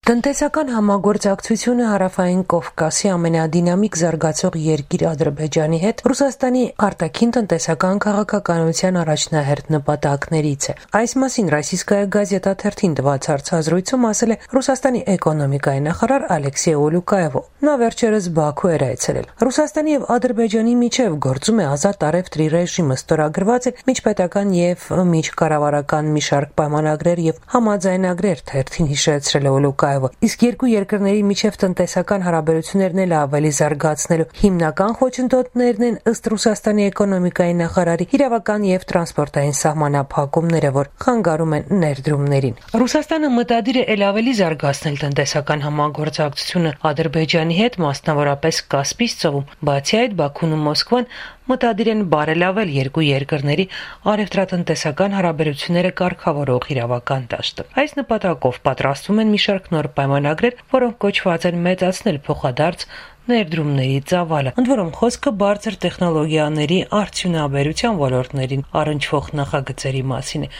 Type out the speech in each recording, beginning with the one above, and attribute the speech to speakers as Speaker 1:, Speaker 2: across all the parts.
Speaker 1: Տնտեսական համագործակցությունը Հարավային Կովկասի ամենադինամիկ զարգացող երկիր Ադրբեջանի հետ Ռուսաստանի արտաքին տնտեսական քաղաքականության առաջնահերթ նպատակներից է։ Այս մասին Ռոսիյսկայա գազետա թերթին տված հարցազրույցում ասել է Ռուսաստանի էկոնոմիկայի նախարար Ալեքսեյ Ուլուկաևը։ Նա վերջերս Բաքու էր այցելել։ Ռուսաստանի եւ Ադրբեջանի միջև գործում է ազատ առևտրի ռեժիմը, ստորագրված է միջպետական եւ միջկառավարական մի շարք պայմանագրեր եւ համաձայնագրեր, թերթին հիշեցրել է Ուլուկաևը։ Իսկ երկու երկրների միջև տնտեսական հարաբերություններն էլ ավելի զարգացնելու հիմնական խոչընդոտներն են ըստ Ռուսաստանի էկոնոմիկայի նախարարի իրավական եւ տրանսպորտային սահմանափակումները, որ խանգարում են ներդրումներին։ Ռուսաստանը մտադիր է ել ավելի զարգացնել տնտեսական համագործակցությունը Ադրբեջանի հետ, մասնավորապես Կասպից ծովում։ Բացի այդ, Բաքուն ու Մոսկվան մտադիր են բարելավել երկու երկրների առևտրատնտեսական հարաբերությունները կարգավորող իրավական դաշտը։ Այս նպատակով պատրաստվում են մի շարք նոր պայմանագրեր, որոնք կոչված են մեծացնել փոխադարձ ներդրումների ծավալը, ընդ որում խոսքը բարձր տեխնոլոգիաների արդյունաբերության ոլորտներին առնչվող նախագծերի մասին է։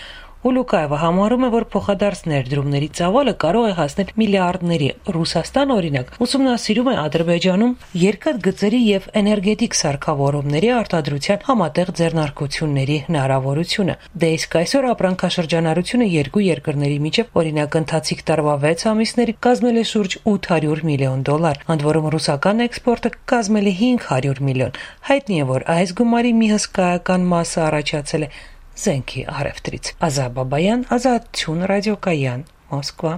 Speaker 1: Ուլուկաևը համարում է, որ փոխադարձ ներդրումների ծավալը կարող է հասնել միլիարդների։ Ռուսաստանը, օրինակ, ուսումնասիրում է Ադրբեջանում երկաթգծերի եւ էներգետիկ սարքավորումների արտադրության համատեղ ձեռնարկությունների հնարավորությունը։ Դե իսկ այսօր ապրանքաշրջանառությունը երկու երկրների միջև, օրինակ, ընթացիկ տարվա 6 ամիսների կազմել է շուրջ $800 միլիոն, ընդ որում ռուսական էքսպորտը կազմել է $500 միլիոն։ Հայտնի է, որ այս գումարի մի հսկայական մասը առաջացել է զենքի առևտրից։ Ազա Բաբայան, Ազատություն ռադիոկայան, Մոսկվա։